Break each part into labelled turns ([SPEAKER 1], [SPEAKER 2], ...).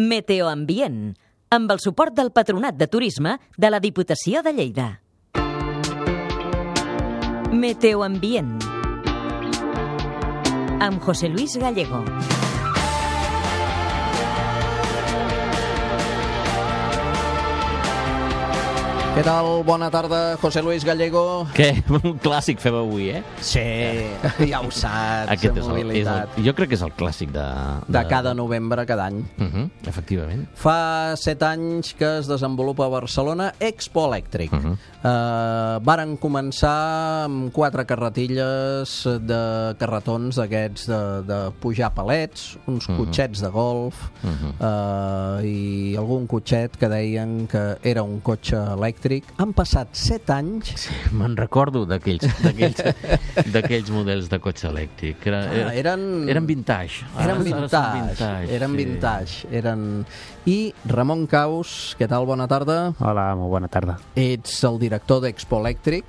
[SPEAKER 1] Meteoambient, amb el suport del Patronat de Turisme de la Diputació de Lleida. Meteoambient, amb José Luis Gallego.
[SPEAKER 2] Què tal? Bona tarda, José Luis Gallego.
[SPEAKER 3] Què? Un clàssic fem avui, eh?
[SPEAKER 2] Sí, ja ho saps,
[SPEAKER 3] Aquest
[SPEAKER 2] mobilitat.
[SPEAKER 3] jo crec que és el clàssic
[SPEAKER 2] de cada novembre, cada any.
[SPEAKER 3] Efectivament.
[SPEAKER 2] Fa 7 anys que es desenvolupa a Barcelona Expo Elèctric. Varen començar amb 4 carretilles de carretons d'aquests de pujar palets, uns cotxets de golf i algun cotxet que deien que era un cotxe elèctric. Han passat 7 anys.
[SPEAKER 3] Sí, me'n recordo d'aquells models de cotxe elèctric. Eren vintage.
[SPEAKER 2] Eren vintage. I Ramon Caus, què tal? Bona tarda.
[SPEAKER 4] Hola, molt bona tarda.
[SPEAKER 2] Ets el director d'Expo Elèctric.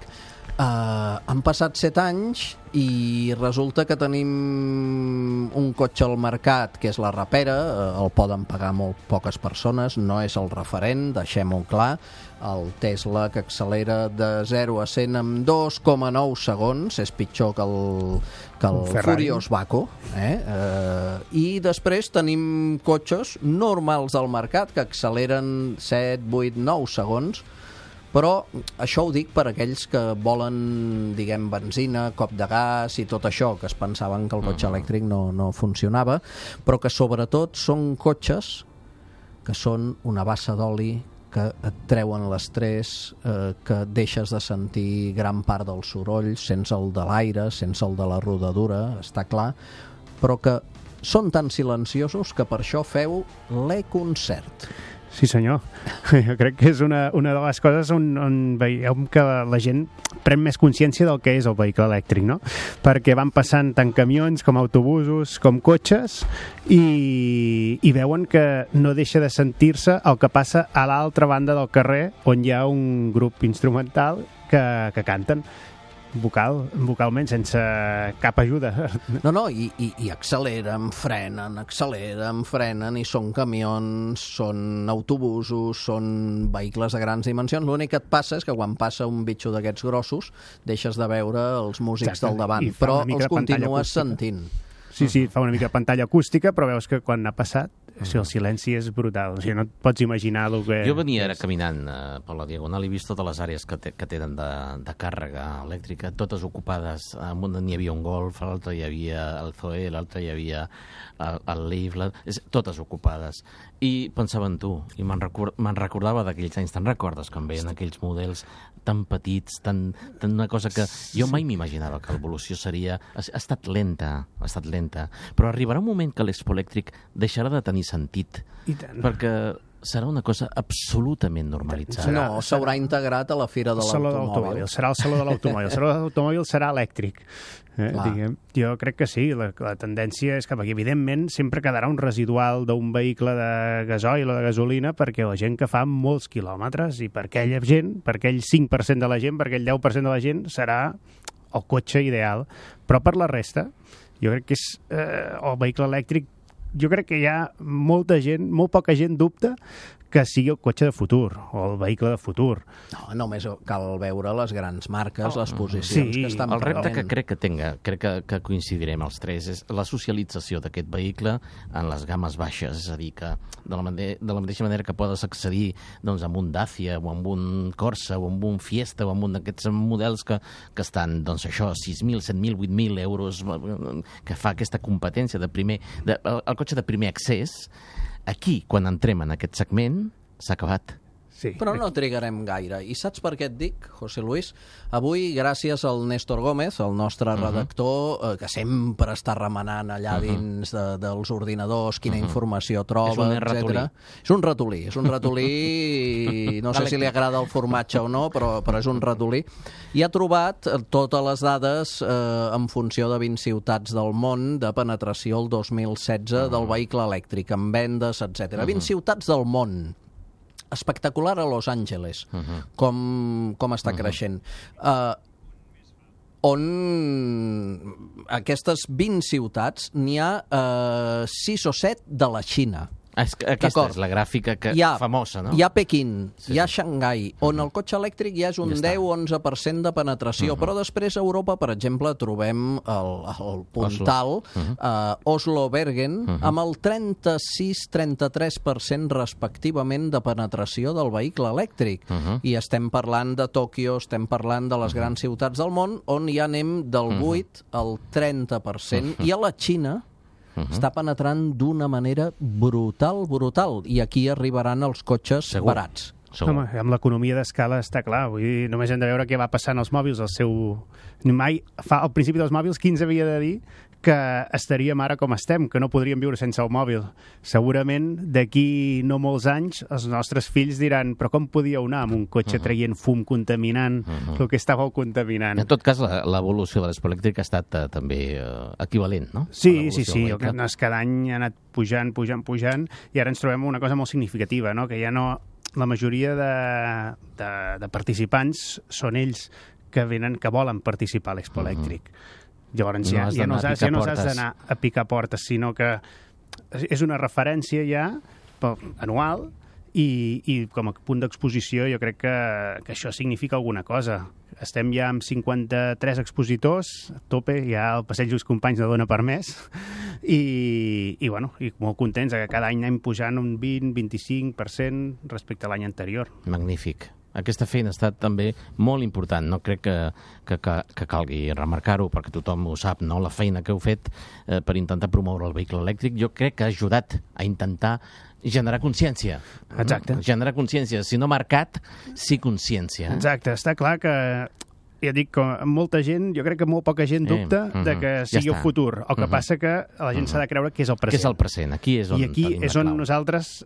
[SPEAKER 2] Han passat 7 anys i resulta que tenim un cotxe al mercat que és la Rapera, el poden pagar molt poques persones, no és el referent, deixem-ho clar, el Tesla que accelera de 0 a 100 en 2,9 segons, és pitjor que el Furious Baco, i després tenim cotxes normals al mercat que acceleren 7, 8, 9 segons, però això ho dic per aquells que volen, diguem, benzina, cop de gas i tot això, que es pensaven que el cotxe elèctric no funcionava, però que sobretot són cotxes que són una bassa d'oli, que et treuen l'estrès, que deixes de sentir gran part del soroll, sense el de l'aire, sense el de la rodadura, està clar, però que són tan silenciosos que per això feu l'e-concert.
[SPEAKER 4] Sí, senyor. Jo crec que és una de les coses on veiem que la gent pren més consciència del que és el vehicle elèctric, no? Perquè van passant tant camions com autobusos, com cotxes, i veuen que no deixa de sentir-se el que passa a l'altra banda del carrer, on hi ha un grup instrumental que canten vocalment, sense cap ajuda.
[SPEAKER 2] No, i acceleren, frenen, i són camions, són autobusos, són vehicles de grans dimensions. L'únic que et passa és que quan passa un bitxo d'aquests grossos deixes de veure els músics del davant, però els continues sentint.
[SPEAKER 4] Sí, fa una mica de pantalla acústica, però veus que quan ha passat, el silenci és brutal. O sigui, no et pots imaginar el que...
[SPEAKER 3] Jo venia ara caminant per la Diagonal i he vist totes les àrees que tenen de càrrega elèctrica, totes ocupades. En una n'hi havia un Golf, a l'altre hi havia el Zoe, a l'altre hi havia el Leaf, totes ocupades. I pensava en tu, i me'n recordava d'aquells anys. Te'n recordes quan veien aquells models tan petits, tan una cosa que jo mai m'imaginava que l'evolució seria... Ha estat lenta, però arribarà un moment que l'Expo Elèctric deixarà de tenir sentit, perquè serà una cosa absolutament normalitzada.
[SPEAKER 2] No, s'haurà integrat a la Fira de l'Automòbil.
[SPEAKER 4] Serà el Saló de l'Automòbil. El Saló de l'Automòbil serà elèctric. Jo crec que sí, la tendència és que aquí, evidentment, sempre quedarà un residual d'un vehicle de gasoil o de gasolina perquè la gent que fa molts quilòmetres, i per aquella gent, per aquell 5% de la gent, per aquell 10% de la gent, serà el cotxe ideal. Però per la resta, jo crec que és el vehicle elèctric. Jo crec que hi ha molta gent, molt poca gent dubta que sigui el cotxe de futur o el vehicle de futur.
[SPEAKER 2] No, només cal veure les grans marques, les posicions que estan
[SPEAKER 3] el repte
[SPEAKER 2] prenent.
[SPEAKER 3] que crec que coincidirem els tres, és la socialització d'aquest vehicle en les gammes baixes, és a dir, que de la mateixa manera que podes accedir amb un Dacia o amb un Corsa o amb un Fiesta o amb un d'aquests models que estan, 6.000, 7.000, 8.000 euros, que fa aquesta competència el cotxe de primer accés. Aquí, quan entrem en aquest segment, s'ha acabat.
[SPEAKER 4] Sí.
[SPEAKER 2] Però no trigarem gaire. I saps per què et dic, José Luis? Avui, gràcies al Néstor Gómez, el nostre redactor, que sempre està remenant allà dins dels ordinadors, quina informació troba, etc. És un ratolí, no sé si li agrada el formatge o no, però és un ratolí. I ha trobat totes les dades en funció de 20 ciutats del món de penetració el 2016 del vehicle elèctric, amb vendes, etc. 20 ciutats del món. Espectacular a Los Angeles, com està creixent. On aquestes 20 ciutats n'hi ha 6 o 7 de la Xina.
[SPEAKER 3] Aquesta és la gràfica famosa, no?
[SPEAKER 2] Hi ha Pequín, hi ha Xangai, on el cotxe elèctric ja és un 10-11% de penetració, però després a Europa, per exemple, trobem el puntal Oslo-Bergen amb el 36-33% respectivament de penetració del vehicle elèctric. I estem parlant de Tòquio, estem parlant de les grans ciutats del món, on ja anem del 8 al 30%, i a la Xina està penetrant d'una manera brutal, i aquí arribaran els cotxes barats.
[SPEAKER 4] Home, amb l'economia d'escala està clar, vull dir, només hem de veure què va passant als mòbils, al principi dels mòbils, qui ens havia de dir que estaríem ara com estem, que no podríem viure sense el mòbil. Segurament, d'aquí no molts anys, els nostres fills diran, però com podíeu anar amb un cotxe traient fum, contaminant, el que estàveu contaminant?
[SPEAKER 3] En tot cas, l'evolució de l'espolèctric ha estat també equivalent, no?
[SPEAKER 4] Sí. Cada any ha anat pujant, i ara ens trobem una cosa molt significativa, no? Que ja no... La majoria de participants són ells que volen participar a l'Expo Elèctric. Llavors ja no has d'anar a picar portes, sinó que és una referència ja anual i com a punt d'exposició jo crec que això significa alguna cosa. Estem ja amb 53 expositors, a tope, ja el passeig dels companys no dona per més, i molt contents que cada any anem pujant un 20-25% respecte a l'any anterior.
[SPEAKER 3] Magnífic. Aquesta feina ha estat també molt important. No crec que calgui remarcar-ho, perquè tothom ho sap, no? La feina que heu fet per intentar promoure el vehicle elèctric, jo crec que ha ajudat a intentar generar consciència.
[SPEAKER 4] Exacte.
[SPEAKER 3] Generar consciència. Si no mercat, sí consciència.
[SPEAKER 4] Exacte. Està clar que ja dic que molta gent, jo crec que molt poca gent dubta de que sigui el futur. El que passa que la gent s'ha de creure que és el present.
[SPEAKER 3] Que és el present. Aquí és on
[SPEAKER 4] I aquí és on nosaltres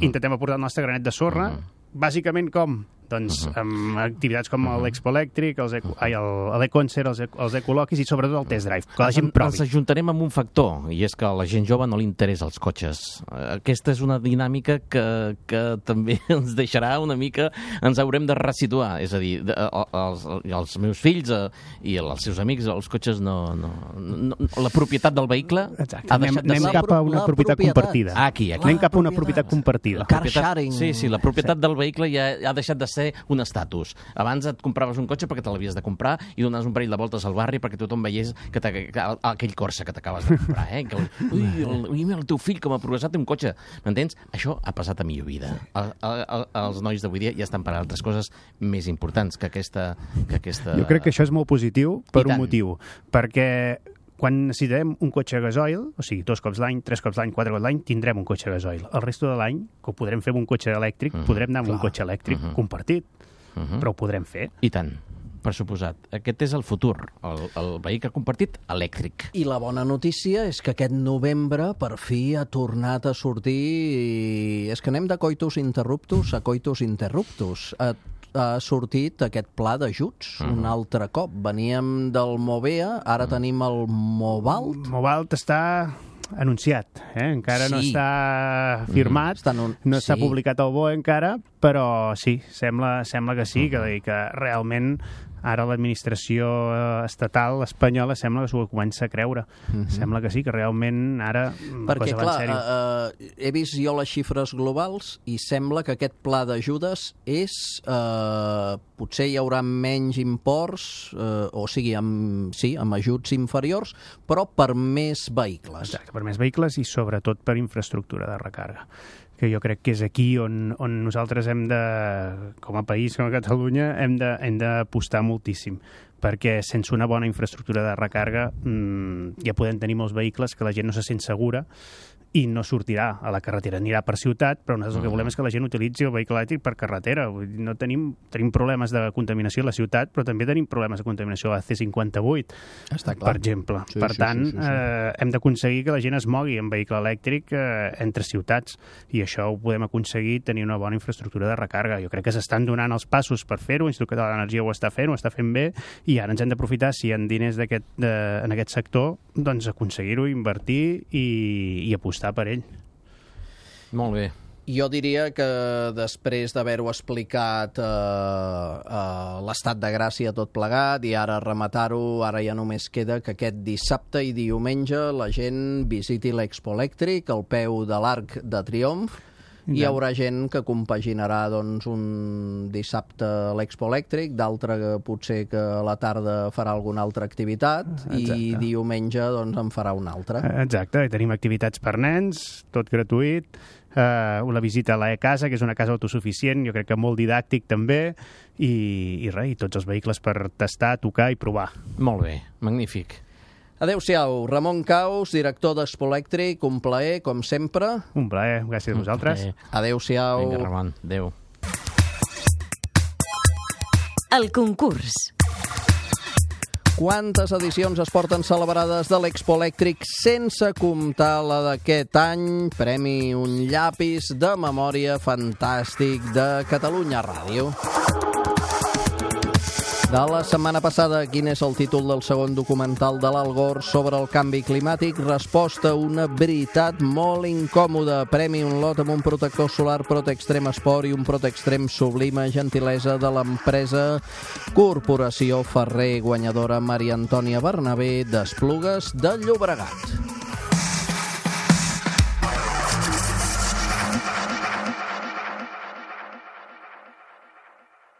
[SPEAKER 4] intentem aportar el nostre granet de sorra. Bàsicament com? Doncs amb activitats com l'Expo Elèctric, l'Econcert, els Ecoloquis i sobretot el Test Drive, que la gent provi.
[SPEAKER 3] Els ajuntarem amb un factor, i és que a la gent jove no li interessa els cotxes. Aquesta és una dinàmica que també ens deixarà una mica, ens haurem de resituar. És a dir, els meus fills i els seus amics, els cotxes la propietat del vehicle ha deixat de ser...
[SPEAKER 4] Anem cap a una propietat compartida.
[SPEAKER 3] Aquí.
[SPEAKER 4] Anem cap a una propietat compartida.
[SPEAKER 2] Car sharing.
[SPEAKER 3] Sí, la propietat del vehicle ja ha deixat de ser un estatus. Abans et compraves un cotxe perquè te l'havies de comprar i donaves un parell de voltes al barri perquè tothom veiés aquell Corsa que t'acabes de comprar. Ui, el teu fill com ha progressat un cotxe. M'entens? Això ha passat a millor vida. Els nois d'avui dia ja estan per altres coses més importants que aquesta...
[SPEAKER 4] Jo crec que això és molt positiu per un motiu. Perquè quan necessitem un cotxe gasoil, o sigui, 2 cops l'any, 3 cops l'any, 4 cops l'any, tindrem un cotxe gasoil. El resto de l'any, que ho podrem fer amb un cotxe elèctric, podrem anar amb un cotxe elèctric compartit, però ho podrem fer.
[SPEAKER 3] I tant, per suposat. Aquest és el futur, el vehicle compartit elèctric.
[SPEAKER 2] I la bona notícia és que aquest novembre per fi ha tornat a sortir... És que anem de coitus interruptus a coitus interruptus. Ha sortit aquest pla d'ajuts un altre cop. Veníem del Movea, ara tenim el Movalt.
[SPEAKER 4] Movalt està anunciat, encara no està firmat, no està publicat al BOE encara, però sí, sembla que sí, que realment ara l'administració estatal espanyola sembla que s'ho comença a creure. Sembla que sí, que realment ara la cosa va en sèrio.
[SPEAKER 2] Perquè, clar, he vist jo les xifres globals i sembla que aquest pla d'ajudes és... potser hi haurà menys imports, o sigui, amb ajuts inferiors, però per més vehicles.
[SPEAKER 4] Exacte, per més vehicles i sobretot per infraestructura de recàrrega, que jo crec que és aquí on nosaltres hem de, com a país, com a Catalunya, hem d'apostar moltíssim, perquè sense una bona infraestructura de recàrrega ja podem tenir molts vehicles que la gent no se sent segura i no sortirà a la carretera, anirà per ciutat, però nosaltres el que volem és que la gent utilitzi el vehicle elèctric per carretera. No tenim problemes de contaminació a la ciutat, però també tenim problemes de contaminació a la C58, per exemple. Per tant, hem d'aconseguir que la gent es mogui en vehicle elèctric entre ciutats, i això ho podem aconseguir tenir una bona infraestructura de recàrrega. Jo crec que s'estan donant els passos per fer-ho, l'Institut Català d'Energia ho està fent bé, i ara ens hem d'aprofitar, si hi ha diners en aquest sector, doncs aconseguir-ho, invertir i apostar per ell.
[SPEAKER 3] Molt bé.
[SPEAKER 2] Jo diria que després d'haver-ho explicat l'estat de gràcia tot plegat i ara rematar-ho, ara ja només queda que aquest dissabte i diumenge la gent visiti l'Expo Elèctric al peu de l'Arc de Triomf. Hi haurà gent que compaginarà doncs, un dissabte a l'Expo Elèctric, d'altre que potser que a la tarda farà alguna altra activitat i diumenge doncs, en farà una altra.
[SPEAKER 4] Exacte, i tenim activitats per nens, tot gratuït, una visita a la casa, que és una casa autosuficient, jo crec que molt didàctic també, i tots els vehicles per tastar, tocar i provar.
[SPEAKER 3] Molt bé, magnífic.
[SPEAKER 2] Adéu-siau, Ramon Caus, director d'Expo Elèctric, un plaer, com sempre.
[SPEAKER 4] Un plaer, gràcies a vosaltres.
[SPEAKER 2] Adéu-siau.
[SPEAKER 3] Vinga, Ramon, adéu.
[SPEAKER 1] El concurs.
[SPEAKER 2] Quantes edicions es porten celebrades de l'Expo Elèctric sense comptar la d'aquest any? Premi un llapis de memòria fantàstic de Catalunya Ràdio. De la setmana passada, quin és el títol del segon documental de l'Al Gore sobre el canvi climàtic? Resposta, una veritat molt incòmoda. Premi un lot amb un protector solar Protextrem Sport i un Protextrem Sublime, gentilesa de l'empresa Corporació Ferrer, guanyadora Maria Antònia Bernabé d'Esplugues de Llobregat.